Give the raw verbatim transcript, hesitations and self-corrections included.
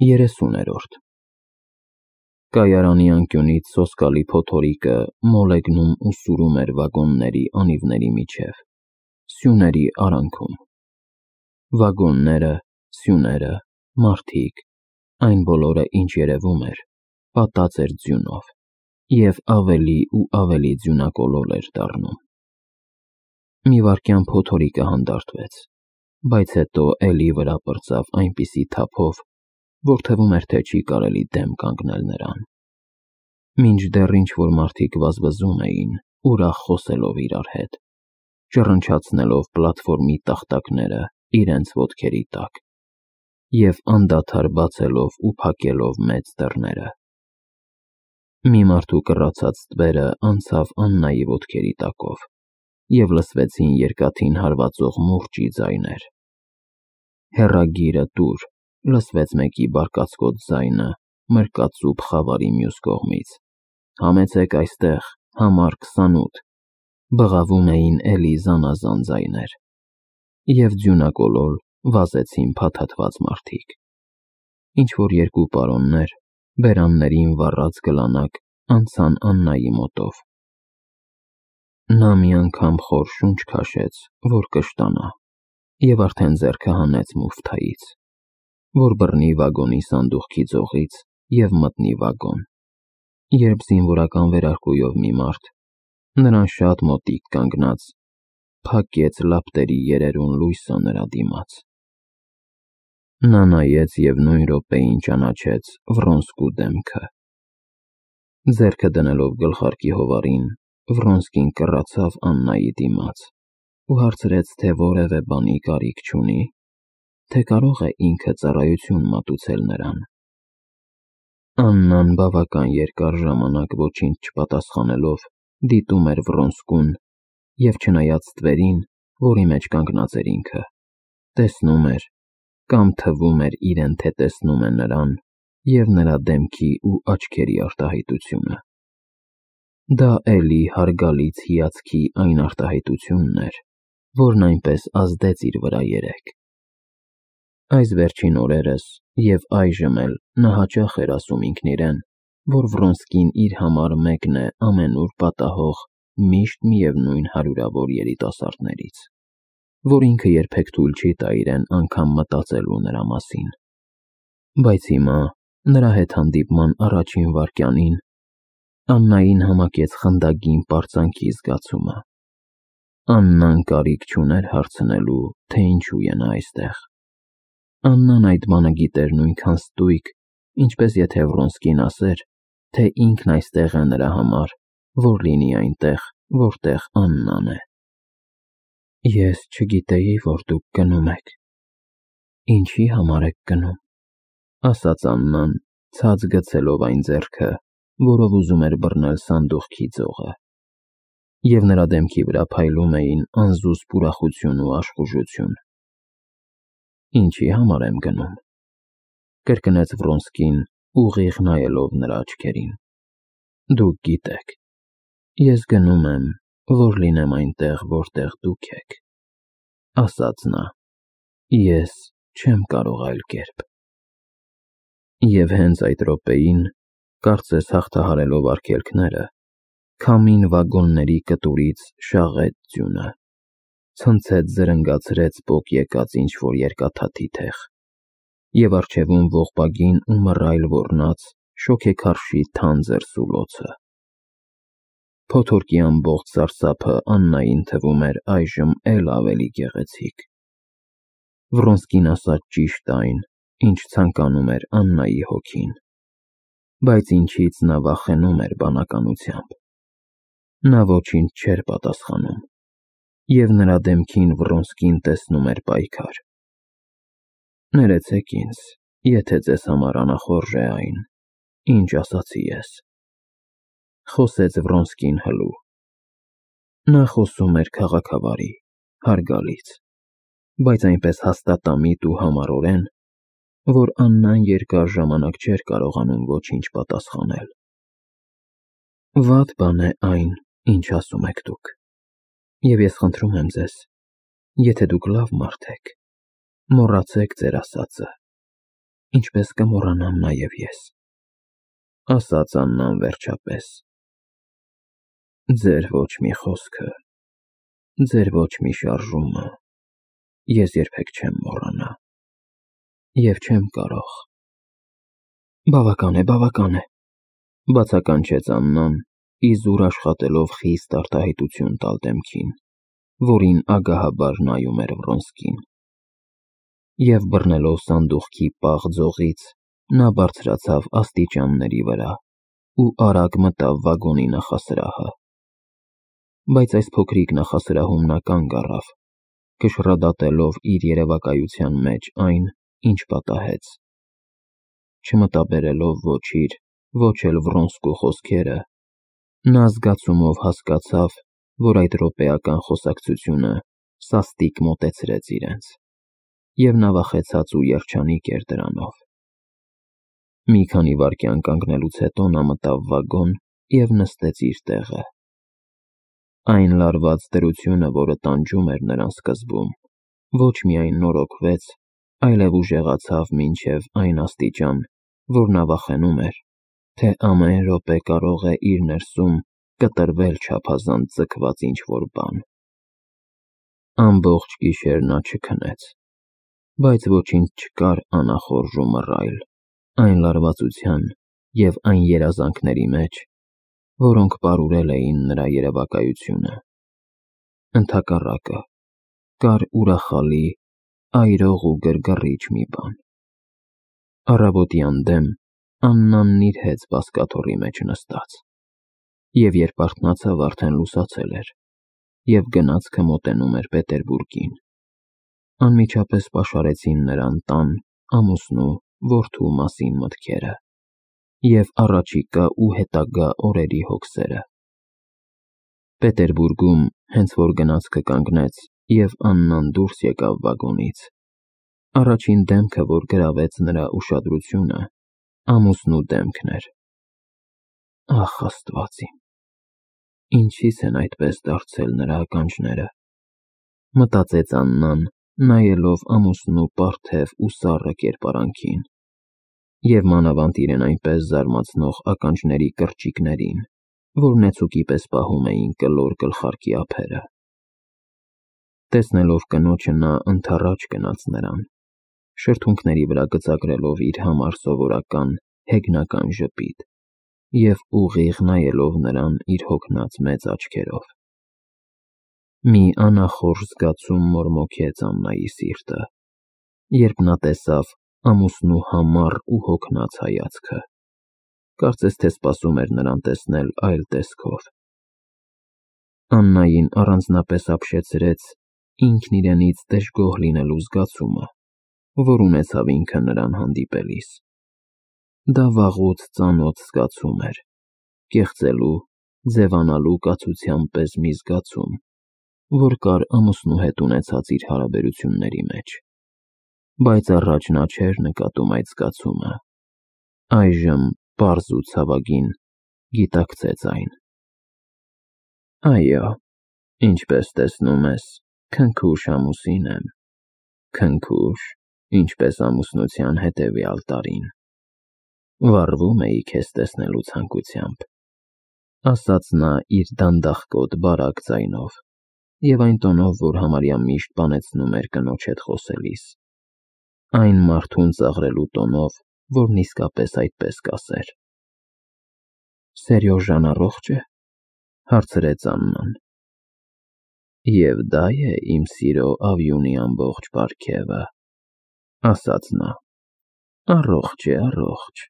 երեսուներորդ Կայարանի անկյունից սոսկալի փոթորիկը մոլեգնում ու սուրում էր վագոնների անիվների միջև, սյուների արանքում: Վագոնները, սյուները, մարդիկ, այն բոլորը, ինչ երևում էր, պատած էր ձյունով և ավելի ու ավելի ձյունակոլոր էր դառնում: Մի վայրկյան փոթորիկը հանդարտվեց, բայց հետո էլի վրա պրծավ այնպիսի թափով, որ թվում էր, թե չի կարելի դեմ կանգնել նրան: Մինչդեռ ինչ-որ մարդիկ վազվզում էին, ուրախ խոսելով իրար հետ, ճռնչացնելով պլատֆորմի տախտակները իրենց ոտքերի տակ և անդադար բացելով ու փակելով մեծ դռները: Մի մարդու կռացած ստվերը անցավ Աննայի ոտքերի տակով, և լսվեցին երկաթին հարվածող մուրճի ձայներ: «Հեռագիրը տուր», լսվեց մեկի բարկացկոտ ձայնը մրկածուփ խավարի մյուս կողմից: «Համեցեք այստեղ, համար քսանութ», բղավում էին էլի զանազան ձայներ: Եվ ձյունակոլոր վազեցին փաթաթված մարդիկ: Ինչ-որ երկու պարոններ, բերաններին վառած գլանակ, անցան Աննայի մոտով: Նա մի անգամ խոր շունչ քաշեց, որ կշտանա, և արդեն ձեռքը հանեց մուֆթայից, որ բռնի վագոնի սանդուղքի ձողից և մտնի վագոն, երբ զինվորական վերարկուով մի մարդ, նրան շատ մոտիկ կանգնած, փակեց լապտերի երերուն լույսը նրա դիմաց: Նա նայեց և նույն րոպեին ճանաչեց Վռոնսկու դեմքը: Ձեռքը դնելով գլխարկի հովարին, Վռոնսկին կռացավ Աննայի դիմաց ու հարցրեց, թե որևէ բանի կարիք չունի, թե կարող է ինքը ծառայություն մատուցել նրան: Աննան բավական երկար ժամանակ ոչինչ չպատասխանելով դիտում էր Վռոնսկուն և չնայած ստվերին, որի մեջ կանգնած էր ինքը, տեսնում էր, կամ թվում էր իրեն, թե տեսնում է նրան և նրա դեմքի ու աչքերի արտահայտությունը: Դա էլի հարգալից հիացքի այն արտահայտությունն էր, որն այնպես ազդեց իր վրա երեկ: Այս վերջին օրերս և այժմ էլ նա հաճախ էր ասում ինքն իրեն, որ Վռոնսկին իր համար մեկն է ամենուր պատահող միշտ միևնույն հարյուրավոր երիտասարդներից, որ ինքը երբեք թույլ չի տա իրեն անգամ մտածելու նրա մասին: Բայց հիմա, նրա հետ հանդիպման առաջին վայրկյանին, Աննային համակեց խնդագին պարծանքի զգացումը: Աննան կարիք չուներ հարցնելու, թե ինչու է նա այստեղ: Աննան այդ բանը գիտեր նույնքան ստույգ, ինչպես եթե Վռոնսկին ասեր, թե ինքն այստեղ է նրա համար, որ լինի այնտեղ, որտեղ Աննան է: «Ես չգիտեի, որ դուք գնում եք: Ինչի համար եք գնում», ասաց Աննան, ցած գցելով այն ձեռքը, որով ուզում էր բռնել սանդուղքի ձողը: Եվ նրա դեմքի վրա փայլում էին անզուսպ ուրախություն ու աշխուժություն: «Ինչի համար եմ գնում», կրկնեց Վռոնսկին, ուղիղ նայելով նրա աչքերին: «Դուք գիտեք: Ես գնում եմ, որ լինեմ այնտեղ, որտեղ դուք եք», ասաց նա: «Ես չեմ կարող այլ կերպ»: Եվ հենց այդ րոպեին, կարծես հաղթահարելով արգելքները, քամին վագոնների կտուրից շաղեց ձյունը, ցնցեց զրնգացրեց պոկ եկած ինչ-որ երկաթաթի թեղ, և առջևում ողբագին ու մռայլ ոռնաց շոգեքարշի թանձր սուլոցը: Փոթորկի ամբողջ սարսափը Աննային թվում էր այժմ էլ ավելի գեղեցիկ: Վռոնսկին ասաց ճիշտ այն, ինչ ցանկանում էր Աննայի հոգին: Բայց ինչից նա վախենում էր բանականությամբ: Նա ոչինչ չէր պատասխանում, և նրա դեմքին Վռոնսկին տեսնում էր պայքար: «Ներեցեք ինձ, եթե ձեզ համար անախորժ է այն, ինչ ասացի ես», խոսեց Վռոնսկին հլու: Նա խոսում էր քաղաքավարի, հարգալից, բայց այնպես հաստատամիտ ու համառորեն, որ Աննան երկար ժամանակ չէր կարողանում ոչինչ պատասխանել: «Վատ բան է այն, ինչ ասում եք դուք, և ես խնդրում եմ ձեզ, եթե դուք լավ մարդ եք, մոռացեք ձեր ասածը ինչպես կմոռանամ նաև ես, ասաց Աննան վերջապես։ Ձեր ոչ մի խոսքը, ձեր ոչ մի շարժումը ես երբեք չեմ մոռանա, և չեմ կարող։ Բավական է, բավական է, բացականչեց Աննան, իզուր աշխատելով խիստ արտահայտություն տալ դեմքին, որին ագահաբար նայում էր Վրոնսկին։ Եվ բռնելով սանդուղքի պաղ ձողից, նա բարձրացավ աստիճանների վրա ու արագ մտավ վագոնի նախասրահը։ Բայց այս փոքրիկ նախասրահում նա կանգ առավ, քշռադատելով իր երևակայության մեջ այն, ինչ պատահեց։ Չմտաբերելով ոչ իր, ոչ էլ Վրոնսկու խոսքերը, նա զգացումով հասկացավ, որ այդ րոպեական խոսակցությունը սաստիկ մոտեցրեց իրենց, և նա վախեցած ու երջանիկ էր դրանով։ Մի քանի վայրկյան կանգնելուց հետո նա մտավ վագոն և նստեց իր տեղը։ Այն լարված դրությունը, որը տանջում էր նրան սկզբում, ոչ միայն նորոգվեց, այլև ուժեղացավ մինչև այն աստիճան, որ նա վախենում էր, թե ամեն րոպե կարող է իր ներսում կտրվել չափազանց ձգված ինչ-որ բան։ Ամբողջ գիշեր նա չքնեց, բայց ոչինչ չկար անախորժ ու մռայլ այն լարվածության և այն երազանքների մեջ, որոնք պարուրել էին նրա երևակայությունը։ Ընդհակառակը, կար ուրախալի, այրող ու գրգռիչ մի բան։ Առավոտյան դեմ Աննան նիրհեց բազկաթոռի մեջ նստած, և երբ արթնացավ, արդեն լուսացել էր, և գնացքը մոտենում էր Պետերբուրգին։ Անմիջապես պաշարեցին նրան տան, ամուսնու, որդու մասին մտքերը և առաջիկա ու հետագա օրերի հոգսերը։ Պետերբուրգում, հենց որ գնացքը կանգնեց և Աննան դուրս եկավ վագոնից, առաջին դեմքը, որ գրավեց նրա ուշադրությունը, ամուսնու դեմքն էր։ Ախ, Աստված իմ, ինչի՞ց են այդպես դարձել նրա ականջները, մտածեց Աննան, նայելով ամուսնու պարթև ու սառը կերպարանքին, և մանավանդ իրեն այնպես զարմացնող ականջների կրճիկներին, որ նեցուկի պես պահում էին կլոր գլխարկի ափերը։ Տեսնելով կնոջը, նա ընդառաջ գնաց նրան, շրթունքների վրա գծագրելով իր համար սովորական հեգնական ժպիտ և ուղիղ նայելով նրան իր հոգնած մեծ աչքերով։ Մի անախորժ զգացում մորմոքեց Աննայի սիրտը, երբ նա տեսավ ամուսնու համառ ու հոգնած հայացքը, կարծես թե սպասում էր նրան տեսնել այլ տեսքով։ Աննային առանձնապես ապշեցրեց ինքն իրենից դժգոհ լինելու զգացումը, որ ունեցավ ինքը նրան հանդիպելիս։ Դա վաղուց ծանոթ զգացում էր, կեղծելու, ձևանալու կացության պես մի զգացում, որ կար ամուսնու հետ ունեցած իր հարաբերությունների մեջ, բայց առաջ նա չէր նկատում այդ զգացումը, այժմ պարզ ու ցավագին գիտակցեց այն։ Այո, ինչպես տեսնում ես, քնքուշ ամուսին եմ, քնքուշ, ինչպես ամուսնության հետևյալ տարին։ Վառվում էի քեզ տեսնելու ցանկությամբ, ասաց նա իր դանդաղկոտ բարակ ձայնով և այն տոնով, որ համարյա միշտ բանեցնում էր կնոջ հետ խոսելիս, այն մարդուն ծաղրելու տոնով, որն իսկապես այդպես կասեր։ Սերյոժան առողջ է, հարցրեց Աննան։ Եվ դա է իմ սիրո ավյունի ամբողջ պարգևը, ասաց նա։ Առողջ է, առողջ,